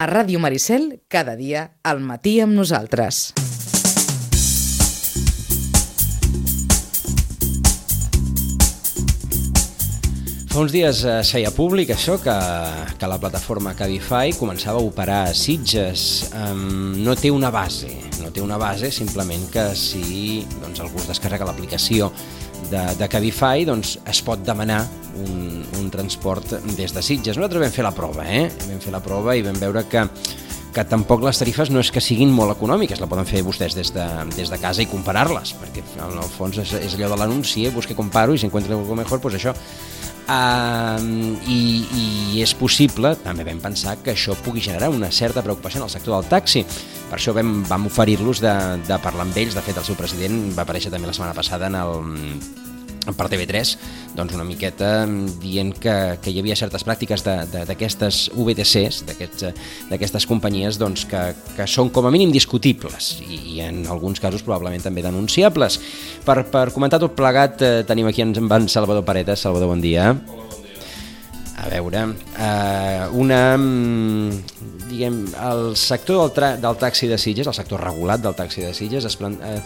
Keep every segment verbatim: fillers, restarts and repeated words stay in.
A Ràdio Maricel, cada dia, al matí amb nosaltres. Fa uns dies es feia públic això, que, que la plataforma Cabify començava a operar a Sitges. Um, no té una base, no té una base, simplement que si doncs, algú es descarrega l'aplicació de, de Cabify, doncs es pot demanar un, un transport des de Sitges. Nosaltres vam fer la prova, eh? Vam fer la prova i vam veure que que tampoc les tarifes no és que siguin molt econòmiques, la poden fer vostès des de, des de casa i comparar-les, perquè en el fons és, és allò de l'anunci, eh? Busque, comparo i si encuentro algo mejor, pues això. Uh, i, i és possible, també vam pensar que això pugui generar una certa preocupació en el sector del taxi. Per això vam, vam oferir-los de, de parlar amb ells. De fet, el seu president va aparèixer també la setmana passada en el, per T V tres, doncs una miqueta dient que, que hi havia certes pràctiques d'aquestes U B T Cs, d'aquestes companyies, doncs, que, que són com a mínim discutibles i, i en alguns casos probablement també denunciables. Per, per comentar tot plegat eh, tenim aquí en, en Salvador Paretas. Salvador, bon dia. A veure, eh, una, diguem, el sector del, tra del taxi de Sitges, el sector regulat del taxi de Sitges, es, eh,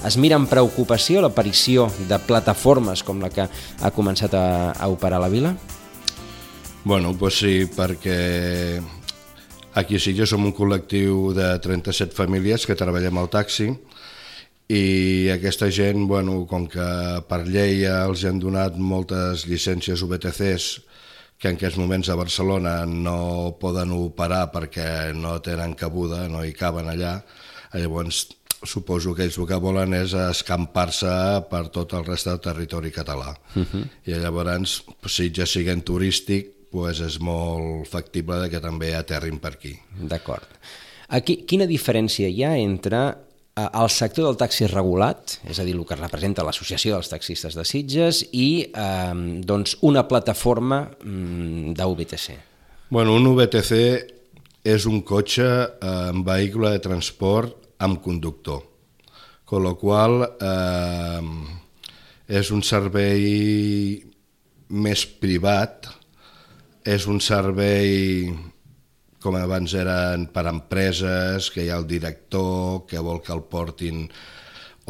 es mira amb preocupació l'aparició de plataformes com la que ha començat a, a operar la vila? Bueno, doncs sí, perquè aquí a Sitges som un col·lectiu de trenta-set famílies que treballem al taxi i aquesta gent, bueno, com que per llei els han donat moltes llicències U B T Cs que en aquests moments a Barcelona no poden operar perquè no tenen cabuda, no hi caben allà, llavors suposo que ells el que volen és escampar-se per tot el reste del territori català. Uh-huh. I llavors, si ja siguin turístic, pues és molt factible que també aterrin per aquí. D'acord. Aquí, quina diferència hi ha entre el sector del taxi regulat, és a dir, el que representa l'Associació dels Taxistes de Sitges, i eh, doncs una plataforma mm, d'U B T C? Bueno, un U B T C és un cotxe amb eh, vehicle de transport amb conductor, con lo qual eh, és un servei més privat, és un servei com abans eren per empreses, que hi ha el director que vol que el portin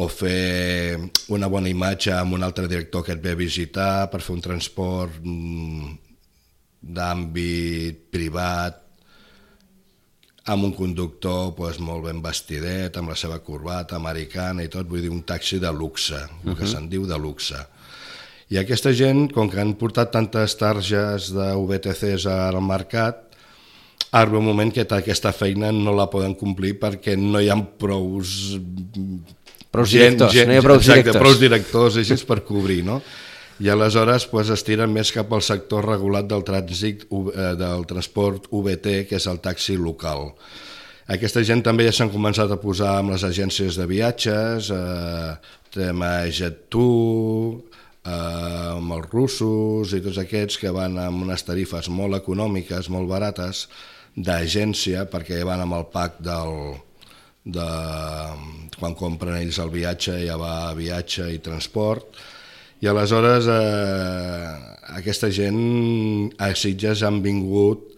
o fer una bona imatge amb un altre director que et ve a visitar per fer un transport d'àmbit privat amb un conductor pues, molt ben vestidet, amb la seva corbata americana i tot, vull dir un taxi de luxe, el que uh-huh. se'n diu de luxe. I aquesta gent, com que han portat tantes targes de U B T Cs al mercat, arriba un moment que aquesta feina no la poden complir perquè no hi ha prous... Prous directors, gent, no hi ha prous exacte, directors. Prous directors així per cobrir, no? I aleshores pues, es tiren més cap al sector regulat del trànsit, del transport U B T, que és el taxi local. Aquesta gent també ja s'han començat a posar amb les agències de viatges, eh, tema Jet2, eh, amb els russos i tots aquests que van amb unes tarifes molt econòmiques, molt barates, d'agència, perquè van amb el pack del, de, quan compren ells el viatge, ja va viatge i transport, i aleshores eh, aquesta gent a Sitges han vingut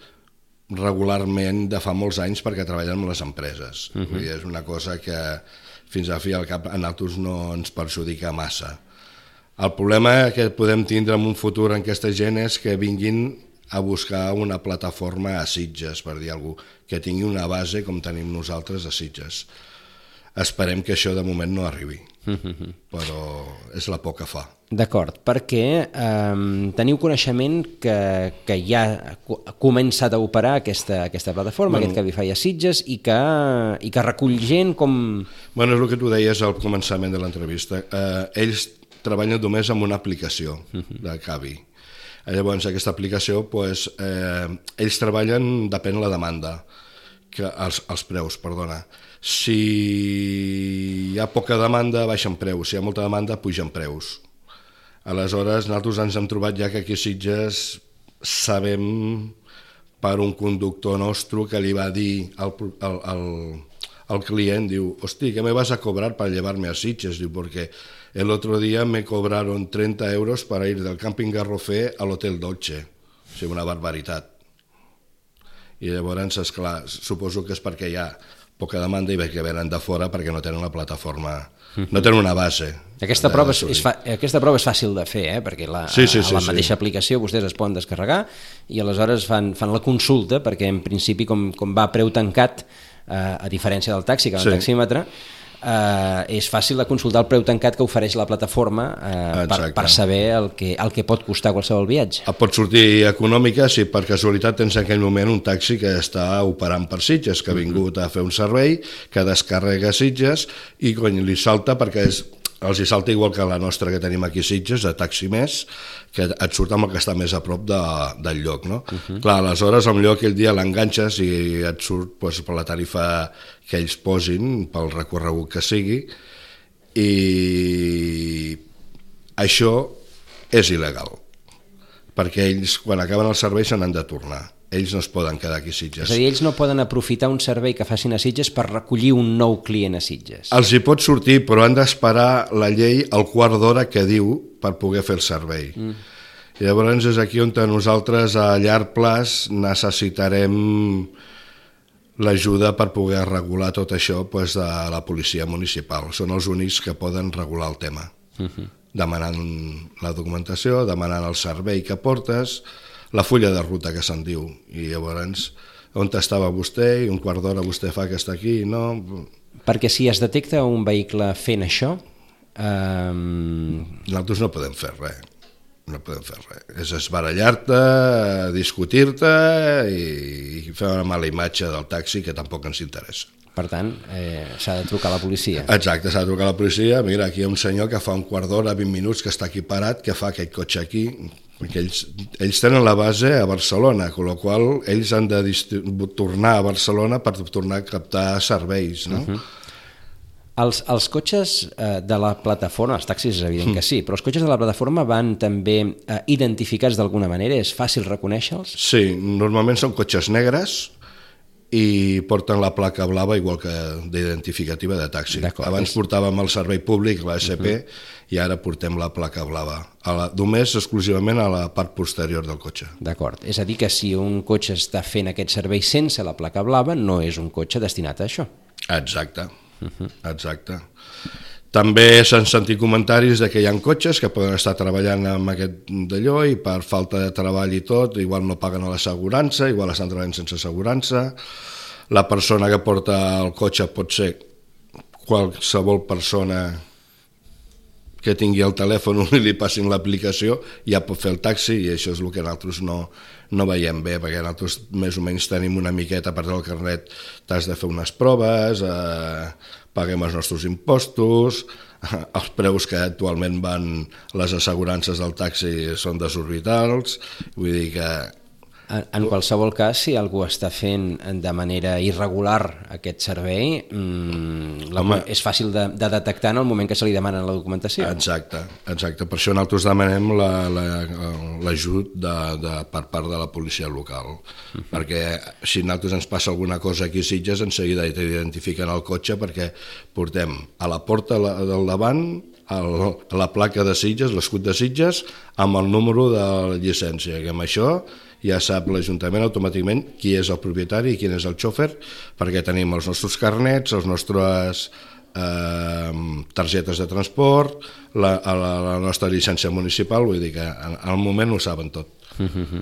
regularment de fa molts anys perquè treballen amb les empreses. Uh-huh. Vull dir, és una cosa que fins a fi al cap a nosaltres no ens perjudica massa. El problema que podem tindre en un futur en aquesta gent és que vinguin a buscar una plataforma a Sitges, per dir alguna cosa, que tingui una base com tenim nosaltres a Sitges. Esperem que això de moment no arribi, uh-huh. però és la por que fa. D'acord, perquè eh, teniu coneixement que, que ja ha començat a operar aquesta, aquesta plataforma, bueno, aquest Cabify a Sitges, i que, i que recull gent com... Bueno, és el que tu deies al començament de l'entrevista. Eh, ells treballen només amb una aplicació uh-huh. de Cavi. Llavors, aquesta aplicació, pues, eh, ells treballen, depèn de la demanda, que els, els preus, perdona. Si hi ha poca demanda, baixen preus. Si hi ha molta demanda, pugen preus. Aleshores, nosaltres ens hem trobat ja que aquí a Sitges sabem per un conductor nostre que li va dir al, al, al, al client, diu, hosti, ¿qué me vas a cobrar para llevarme a Sitges? Diu, porque el otro día me cobraron treinta euros para ir del Camping Garrofé al Hotel Dolce. O sigui, una barbaritat. I llavors, esclar, suposo que és perquè hi ha poca demanda i que venen de fora perquè no tenen la plataforma, no tenen una base. Aquesta prova és, és, fa, aquesta prova és fàcil de fer, eh? Perquè la, sí, sí, sí, a la mateixa sí. aplicació vostès es poden descarregar i aleshores fan, fan la consulta, perquè en principi com, com va a preu tancat, eh, a diferència del taxi, que va en sí. taxímetre, eh, és fàcil de consultar el preu tancat que ofereix la plataforma eh, per, per saber el que, el que pot costar qualsevol viatge. Et pot sortir econòmica si per casualitat tens en aquell moment un taxi que està operant per Sitges, que ha vingut a fer un servei, que descarrega Sitges i cony, li salta perquè és, els hi salta igual que la nostra que tenim aquí a Sitges, a Taxi Més, que et surt amb el que està més a prop de, del lloc. No? Uh -huh. Clar, aleshores, potser aquell dia l'enganxes i et surt doncs, per la tarifa que ells posin, pel recorregut que sigui, i això és il·legal, perquè ells, quan acaben el servei, se n'han de tornar. Ells no es poden quedar aquí a Sitges. És a dir, ells no poden aprofitar un servei que facin a Sitges per recollir un nou client a Sitges. Els hi pot sortir, però han d'esperar la llei al quart d'hora que diu per poder fer el servei. Mm. I llavors és aquí on nosaltres a llarg plaç necessitarem l'ajuda per poder regular tot això doncs, de la policia municipal. Són els únics que poden regular el tema. Mm-hmm. Demanant la documentació, demanant el servei que portes, la fulla de ruta que se'n diu, i llavors on estava vostè i un quart d'hora vostè fa que està aquí, no? Perquè si es detecta un vehicle fent això... Eh... Nosaltres no podem fer res, no podem fer res. És esbarallar-te, discutir-te i fer una mala imatge del taxi que tampoc ens interessa. Per tant, eh, s'ha de trucar a la policia. Exacte, s'ha de trucar a la policia. Mira, aquí hi ha un senyor que fa un quart d'hora, vint minuts, que està aquí parat, que fa aquest cotxe aquí, perquè ells, ells tenen la base a Barcelona, amb la qual cosa ells han de tornar a Barcelona per tornar a captar serveis, no? Uh-huh. Els, els cotxes eh, de la plataforma, els taxis és evident que sí, però els cotxes de la plataforma van també eh, identificats d'alguna manera? És fàcil reconèixer-los? Sí, normalment són cotxes negres i porten la placa blava igual que d'identificativa de taxi. Abans portàvem el servei públic, la S P, uh-huh. i ara portem la placa blava, a la, només exclusivament a la part posterior del cotxe. D'acord, és a dir que si un cotxe està fent aquest servei sense la placa blava, no és un cotxe destinat a això. Exacte, uh-huh. exacte. També s'han sentit comentaris de que hi ha cotxes que poden estar treballant amb aquest d'allò i per falta de treball i tot, igual no paguen a l'assegurança, igual estan treballant sense assegurança. La persona que porta el cotxe pot ser qualsevol persona que tingui el telèfon i li passin l'aplicació, ja pot fer el taxi, i això és el que nosaltres no, no veiem bé, perquè nosaltres més o menys tenim una miqueta, a part del carnet t'has de fer unes proves, eh, paguem els nostres impostos, els preus que actualment van les assegurances del taxi són desorbitals, vull dir que... En, en qualsevol cas, si algú està fent de manera irregular aquest servei, mmm, la, Home, és fàcil de, de detectar en el moment que se li demana la documentació. Exacte, exacte. Per això nosaltres demanem l'ajut la, la, de, de, per part de la policia local, uh-huh. perquè si nosaltres ens passa alguna cosa aquí a Sitges, en seguida identifiquen el cotxe, perquè portem a la porta del davant el, la placa de Sitges, l'escut de Sitges, amb el número de la llicència, que amb això ja sap l'Ajuntament automàticament qui és el propietari i qui és el xòfer, perquè tenim els nostres carnets, els nostres eh, targetes de transport, la, la, la nostra llicència municipal, vull dir que al moment ho saben tot. Uh-huh.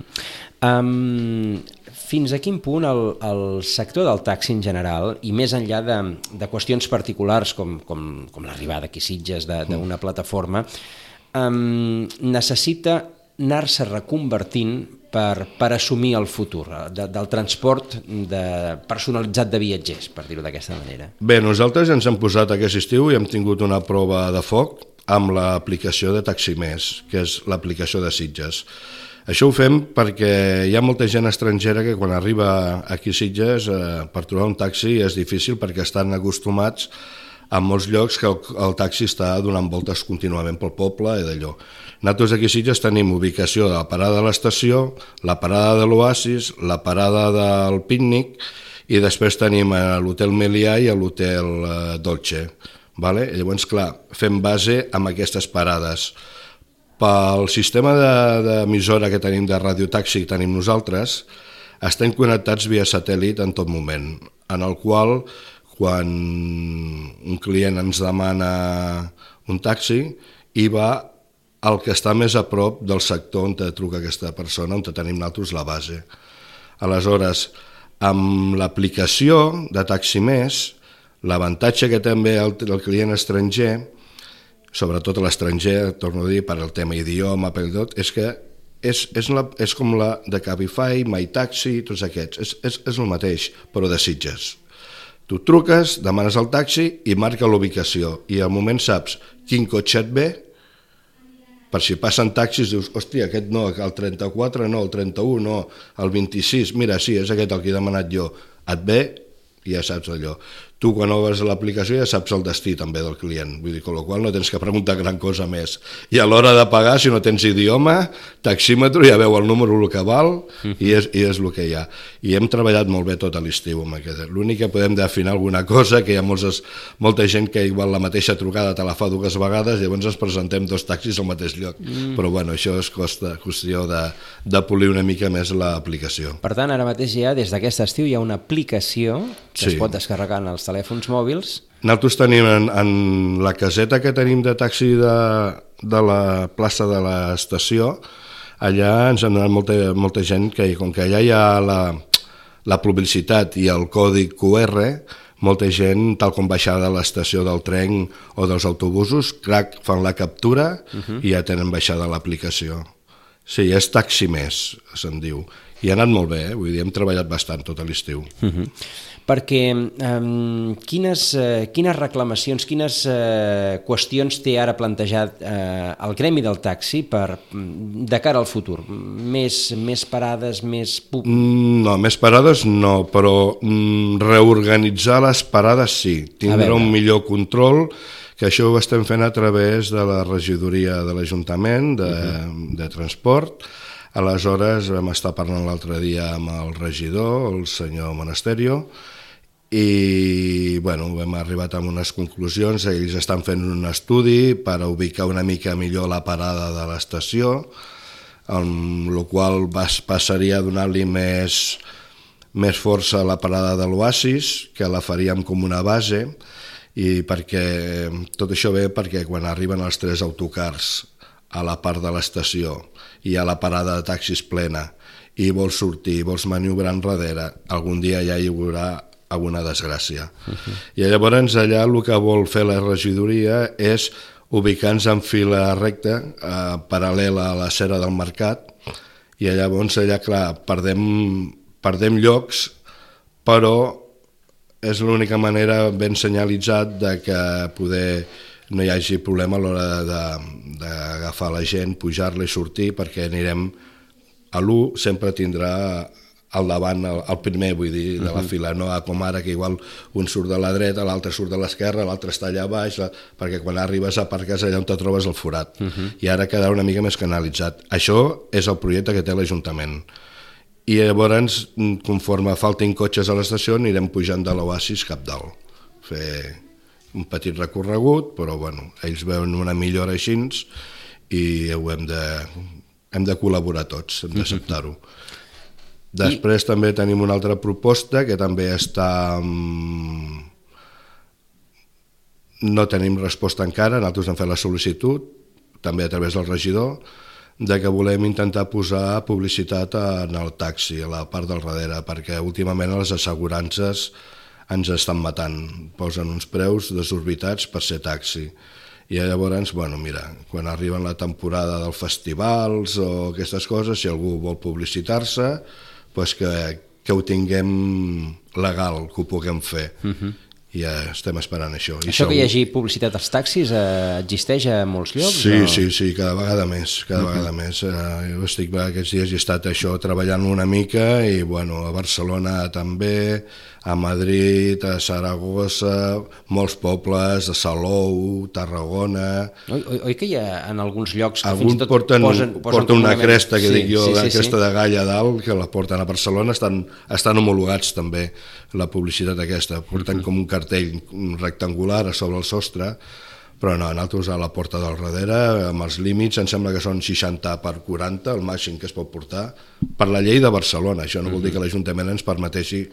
um, fins a quin punt el, el sector del taxi en general, i més enllà de, de qüestions particulars com, com, com l'arribada aquí a Sitges d'una plataforma, um, necessita anar-se reconvertint per, per assumir el futur de, del transport de, personalitzat de viatgers, per dir-ho d'aquesta manera? Bé, nosaltres ens hem posat aquest estiu i hem tingut una prova de foc amb l'aplicació de Taxi Més, que és l'aplicació de Sitges. Això ho fem perquè hi ha molta gent estrangera que quan arriba aquí a Sitges eh, per trobar un taxi és difícil perquè estan acostumats a molts llocs que el, el taxi està donant voltes contínuament pel poble i d'allò. Nosaltres aquí a Sitges tenim ubicació de la parada de l'estació, la parada de l'Oasis, la parada del Pícnic i després tenim l'hotel Melià i l'hotel Dolce. Vale? Llavors, clar, fem base amb aquestes parades. Pel sistema d'emissora que tenim de radiotaxi que tenim nosaltres, estem connectats via satèl·lit en tot moment, en el qual quan un client ens demana un taxi i va al que està més a prop del sector on truca aquesta persona, on tenim nosaltres la base. Aleshores, amb l'aplicació de Taxi Més, l'avantatge que també el, el client estranger, sobretot l'estranger, torno a dir, per al tema idioma, per tot, és que és, és, la, és com la de Cabify, MyTaxi, tots aquests. És, és, és el mateix, però de Sitges. Tu truques, demanes el taxi i marca l'ubicació. I al moment saps quin cotxe et ve, per si passen taxis, dius, hòstia, aquest no, el trenta-quatre no, el trenta-u no, el vint-i-sis, mira, sí, és aquest el que he demanat jo. Et ve i ja saps allò. Tu, quan obres l'aplicació, ja saps el destí també del client, vull dir, con lo qual no tens que preguntar gran cosa més. I a l'hora de pagar, si no tens idioma, taxímetre, ja veu el número el que val i és, i és el que hi ha. I hem treballat molt bé tot l'estiu amb aquest. L'únic que podem d'afinar alguna cosa, que hi ha molts, molta gent que igual la mateixa trucada te la fa dues vegades i llavors ens presentem dos taxis al mateix lloc. Mm. Però bueno, això és costa, qüestió de, de polir una mica més l'aplicació. Per tant, ara mateix ja, des d'aquest estiu, hi ha una aplicació que sí. es pot descarregar en els telèfons mòbils. Nosaltres tenim en, en la caseta que tenim de taxi de, de la plaça de l'estació, allà ens han donat molta, molta gent que, com que allà hi ha la, la publicitat i el codi cu erre, molta gent, tal com baixar de l'estació del tren o dels autobusos, crac, fan la captura uh-huh. i ja tenen baixada l'aplicació. Sí, és Taxi Més, se'n diu. I ha anat molt bé, eh? Vull dir, hem treballat bastant tot l'estiu. Uh-huh. Perquè um, quines, uh, quines reclamacions, quines uh, qüestions té ara plantejat uh, el gremi del taxi per, de cara al futur? Més, més parades, més... No, més parades no, però mm, reorganitzar les parades sí. Tindrà un millor control, que això ho estem fent a través de la regidoria de l'Ajuntament de, uh-huh. de transport. Aleshores vam estar parlant l'altre dia amb el regidor, el senyor Monasterio, i bueno, hem arribat a unes conclusions. Ells estan fent un estudi per ubicar una mica millor la parada de l'estació, amb la qual passaria a donar-li més, més força a la parada de l'Oasis, que la faríem com una base, i perquè tot això ve perquè quan arriben els tres autocars a la part de l'estació i a la parada de taxis plena i vols sortir, vols maniobrar enrere, algun dia ja hi haurà alguna desgràcia. Uh-huh. I llavors allà el que vol fer la regidoria és ubicar-nos en fila recta, eh, paral·lela a la cera del mercat, i llavors allà, clar, perdem, perdem llocs, però és l'única manera ben senyalitzat de que poder no hi hagi problema a l'hora d'agafar la gent, pujar-la i sortir, perquè anirem a l'u, sempre tindrà al davant, el primer, vull dir, de la uh-huh. fila, no com ara, que igual un surt de la dreta, l'altre surt de l'esquerra, l'altre està allà baix, la... perquè quan arribes a aparcar allà on te trobes el forat. Uh-huh. I ara quedarà una mica més canalitzat. Això és el projecte que té l'Ajuntament. I llavors, conforme faltin cotxes a l'estació, anirem pujant de l'Oasis cap dalt. Fer un petit recorregut, però bueno, ells veuen una millora així i ho hem de, hem de col·laborar tots, hem d'acceptar-ho. Després I... també tenim una altra proposta que també està... No tenim resposta encara, nosaltres hem fet la sol·licitud, també a través del regidor, de que volem intentar posar publicitat en el taxi, a la part del darrere, perquè últimament les assegurances ens estan matant, posen uns preus desorbitats per ser taxi. I llavors, bueno, mira, quan arriben la temporada dels festivals o aquestes coses, si algú vol publicitar-se, pues que, que ho tinguem legal, que ho puguem fer. Uh-huh. I ja estem esperant això. I això segur... que hi hagi publicitat als taxis eh, existeix a molts llocs? Sí, o... sí, sí, cada vegada més, cada uh-huh. vegada més. Eh, jo estic aquests dies i he estat això treballant una mica i bueno, a Barcelona també, a Madrid, a Saragossa, molts pobles, a Salou, Tarragona... Oi, oi, oi que hi ha en alguns llocs que Algun fins i tot porten, posen, posen porten una cresta, que sí, dic jo, sí, la sí, cresta sí. de galla dalt, que la porten a Barcelona, estan, estan homologats també, la publicitat aquesta. Porten uh-huh. com un cartell rectangular a sobre el sostre, però no, nosaltres a la porta del darrere, amb els límits, em sembla que són seixanta per quaranta, el màxim que es pot portar, per la llei de Barcelona. Això no vol dir que l'Ajuntament ens permeteixi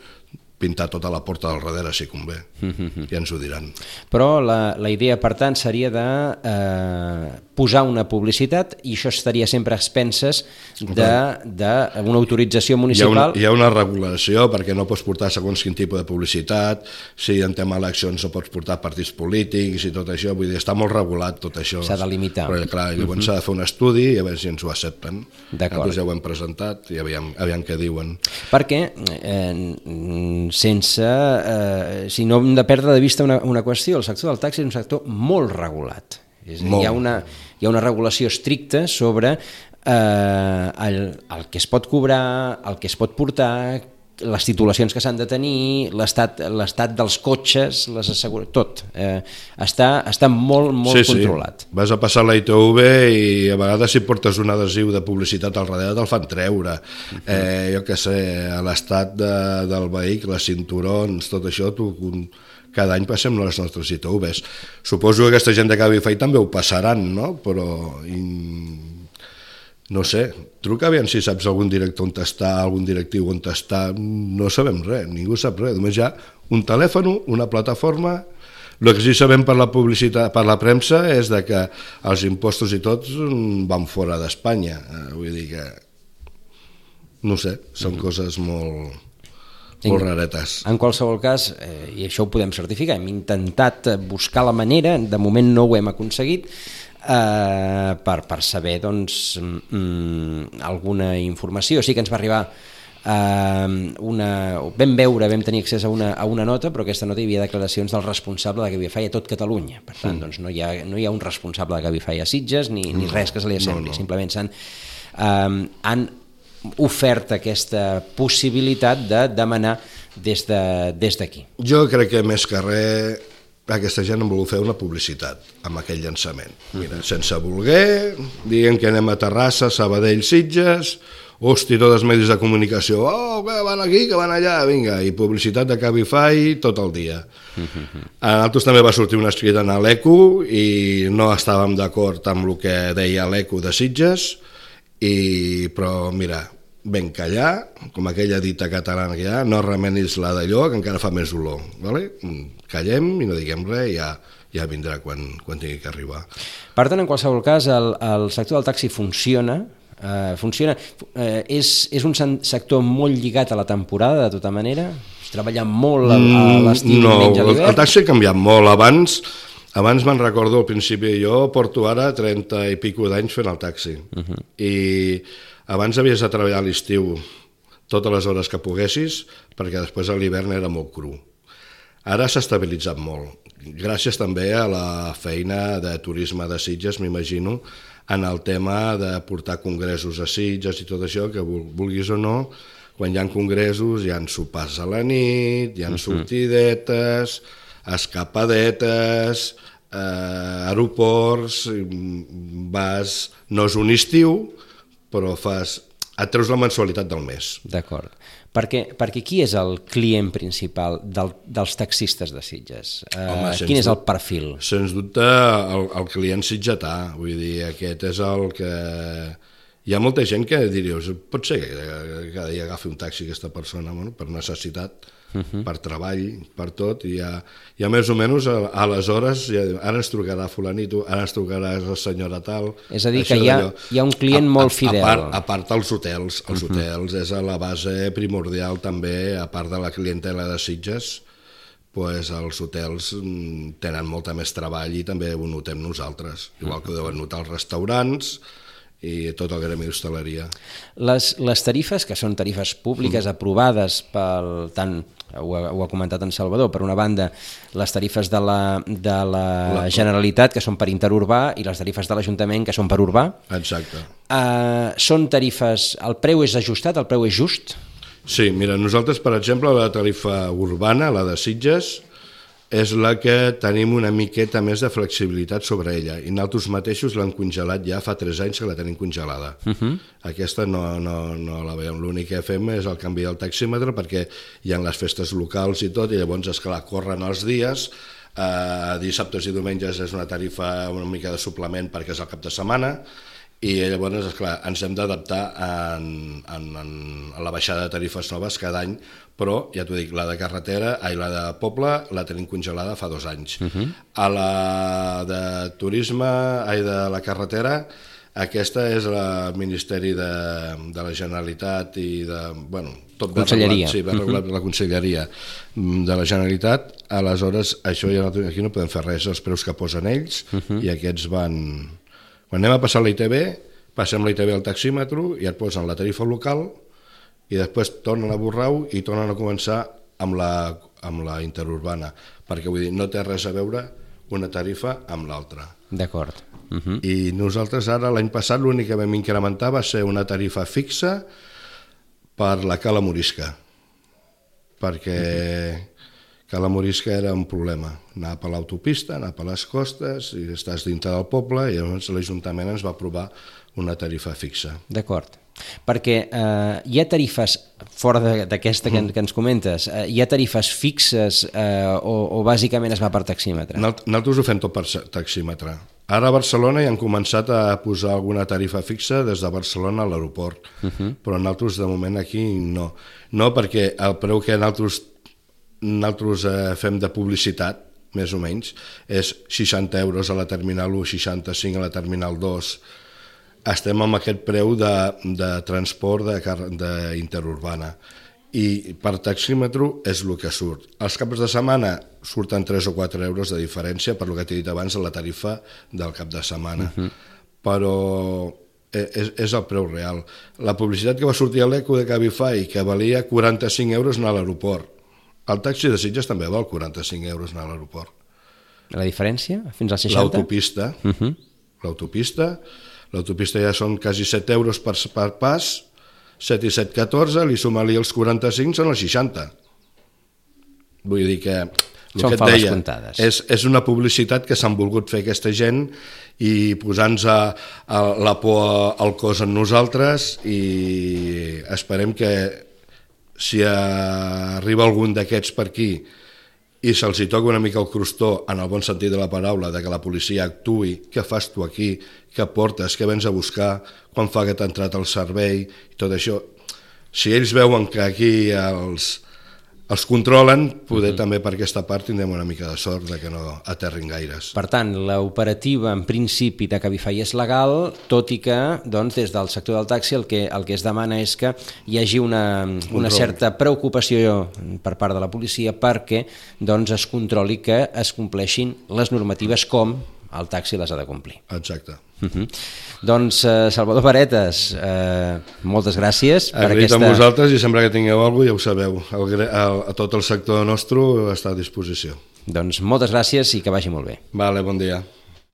pintar tota la porta del darrere, si convé. Mm-hmm. Ja ens ho diran. Però la, la idea, per tant, seria de eh, posar una publicitat i això estaria sempre a expenses d'una autorització municipal. Hi ha, una, hi ha una regulació perquè no pots portar segons quin tipus de publicitat, si en tema eleccions no pots portar partits polítics i tot això, vull dir, està molt regulat tot això. S'ha de limitar. Però clar, llavors mm-hmm. s'ha de fer un estudi i a veure si ens ho accepten. Nosaltres ja ho hem presentat i aviam, aviam què diuen. Perquè eh, sense, eh, si no hem de perdre de vista una, una qüestió, el sector del taxi és un sector molt regulat. És a dir, hi ha una, hi ha una regulació estricta sobre eh, el, el que es pot cobrar, el que es pot portar, les titulacions que s'han de tenir, l'estat l'estat dels cotxes, les assegura... tot. Eh, està, està molt, molt sí, controlat. Sí. Vas a passar la I T V i a vegades si portes un adhesiu de publicitat al darrere te'l fan treure. Uh-huh. Eh, jo què sé, a l'estat de, del vehicle, cinturons, tot això, tu, cada any passem les nostres I T Vs. Suposo que aquesta gent de Cabify també ho passaran, no? Però... I... no sé, truca aviam si saps algun director on està, algun directiu on està, no sabem res, ningú sap res, només hi ha un telèfon, una plataforma. El que sí sabem per la publicitat, per la premsa, és de que els impostos i tots van fora d'Espanya, vull dir que no sé, són coses molt... molt raretes. En qualsevol cas, eh, i això ho podem certificar, hem intentat buscar la manera, de moment no ho hem aconseguit, eh, per, per saber doncs, mm, alguna informació. Sí que ens va arribar eh, una... vam veure, vam tenir accés a una, a una nota, però aquesta nota hi havia declaracions del responsable de Cabify a tot Catalunya. Per tant, doncs, no, hi ha, no hi ha un responsable de Cabify a Sitges ni, ni res que se li assembli. No, no. Simplement s'han... Eh, han ofert aquesta possibilitat de demanar des d'aquí. De, des jo crec que més que res aquesta gent en vol fer una publicitat amb aquell llançament. Mira, sense voler, diguem que anem a Terrassa, Sabadell, Sitges, hosti, tots els medis de comunicació, oh, que van aquí, que van allà, vinga, i publicitat de Cabify tot el dia. A nosaltres també va sortir una escrita a l'Eco i no estàvem d'acord amb el que deia l'Eco de Sitges, i, però mira, ben callar, com aquella dita catalana que hi ha, no remenis la d'allò, que encara fa més olor. Vale? Callem i no diguem res, i ja, ja vindrà quan, quan tingui que arribar. Per tant, en qualsevol cas, el, el sector del taxi funciona, eh, funciona eh, és, és un sector molt lligat a la temporada, de tota manera? Es treballa molt a, a l'estiu, no, menys a l'hivern? El taxi ha canviat molt. Abans, abans me'n recordo al principi, jo porto ara trenta i pico d'anys fent el taxi. Uh-huh. I abans havies de treballar a l'estiu totes les hores que poguessis, perquè després a l'hivern era molt cru. Ara s'ha estabilitzat molt, gràcies també a la feina de turisme de Sitges, m'imagino, en el tema de portar congressos a Sitges i tot això, que vulguis o no, quan hi ha congressos hi ha sopars a la nit, hi ha sortidetes, escapadetes, eh, aeroports, vas, no és un estiu, però fas, et treus la mensualitat del mes. D'acord. Perquè, perquè qui és el client principal del, dels taxistes de Sitges? Home, uh, quin és el perfil? Sens dubte el, el client sitgetà, vull dir, aquest és el que... Hi ha molta gent que diries, pot ser que cada dia agafi un taxi aquesta persona, bueno, per necessitat, uh-huh. per treball, per tot, i ja, ja més o menys aleshores ja, ara ens trucarà fulanito, ara ens trucarà la senyora tal... És a dir, que hi ha, hi ha un client a, molt fidel. A part, a part els hotels, els uh-huh. hotels és a la base primordial també, a part de la clientela de Sitges, pues els hotels tenen molta més treball i també ho notem nosaltres, igual que ho deuen notar els restaurants i tot el gremi d'hostaleria. Les, les tarifes, que són tarifes públiques mm. aprovades pel, tant, ho ha, ho ha comentat en Salvador, per una banda les tarifes de la, de la, la Generalitat, que són per interurbà, i les tarifes de l'Ajuntament, que són per urbà. Exacte. Uh, són tarifes, el preu és ajustat, el preu és just? Sí, mira, nosaltres, per exemple, la tarifa urbana, la de Sitges, és la que tenim una miqueta més de flexibilitat sobre ella, i nosaltres mateixos l'hem congelat ja fa tres anys que la tenim congelada. Uh-huh. Aquesta no, no, no la veiem, l'únic que fem és el canvi del taxímetre perquè hi ha les festes locals i tot, i llavors, esclar, corren els dies, eh, dissabtes i diumenges és una tarifa una mica de suplement perquè és el cap de setmana, i llavors, esclar, ens hem d'adaptar en, en, en la baixada de tarifes noves cada any, però, ja t'ho dic, la de carretera, ai, la de poble, la tenim congelada fa dos anys. Uh-huh. A la de turisme, ai, de la carretera, aquesta és el Ministeri de, de la Generalitat i de... Bueno, tot ben regulat, sí, ben regulat per la Conselleria de la Generalitat. Aleshores, això ja no, aquí no podem fer res, els preus que posen ells, uh-huh. i aquests van... Quan anem a passar la I T B, passem la I T B al taxímetre i et posen la tarifa local i després tornen a Borrau i tornen a començar amb la, amb la interurbana, perquè vull dir, no té res a veure una tarifa amb l'altra. D'acord. Uh-huh. I nosaltres ara, l'any passat, l'únic que vam incrementar va ser una tarifa fixa per la Cala Morisca, perquè uh-huh. Cala Morisca era un problema. Anar per l'autopista, anar per les costes, i estàs dintre del poble, i llavors l'Ajuntament ens va aprovar una tarifa fixa. D'acord. Perquè eh, hi ha tarifes, fora d'aquesta que, que ens comentes, eh, hi ha tarifes fixes eh, o, o bàsicament es va per taxímetre? Nosaltres ho fem tot per taxímetre. Ara a Barcelona ja han començat a posar alguna tarifa fixa des de Barcelona a l'aeroport, uh-huh. però nosaltres de moment aquí no. No, perquè el preu que nosaltres, nosaltres eh, fem de publicitat, més o menys, és seixanta euros a la Terminal u, seixanta-cinc a la Terminal dos. Estem amb aquest preu de, de transport d'interurbana. I per taxímetre és el que surt. Els caps de setmana surten tres o quatre euros de diferència, per el que t'he dit abans, a la tarifa del cap de setmana. Uh-huh. Però és, és el preu real. La publicitat que va sortir a l'Eco de Cabify, que valia quaranta-cinc euros anar a l'aeroport. El taxi de Sitges també val quaranta-cinc euros anar a l'aeroport. La diferència? Fins als seixanta? L'autopista. Uh-huh. L'autopista. L'autopista ja són quasi set euros per, per pas, set i set, catorze, li suma-li els quaranta-cinc, són els seixanta. Vull dir que... Són que faves deia, comptades. És, és una publicitat que s'han volgut fer aquesta gent i posant-nos a, a la por al cos en nosaltres, i esperem que si arriba algun d'aquests per aquí i se'ls hi toca una mica el crostó, en el bon sentit de la paraula, de que la policia actuï, què fas tu aquí, què portes, què vens a buscar, quan fa que t'ha entrat el servei, i tot això. Si ells veuen que aquí els, els controlen, poder uh-huh. també per aquesta part tindrem una mica de sort de que no aterrin gaires. Per tant, l'operativa en principi de Cabify és legal, tot i que doncs, des del sector del taxi el que, el que es demana és que hi hagi una, una certa preocupació per part de la policia perquè doncs, es controli que es compleixin les normatives com el taxi les ha de complir. Exacte. Uh-huh. Doncs, eh, Salvador Varetas, eh, moltes gràcies. Agraït aquesta... amb vosaltres, i sempre que tingueu alguna cosa ja ho sabeu. El, el, a tot el sector nostre està a disposició. Doncs moltes gràcies i que vagi molt bé. Vale, bon dia.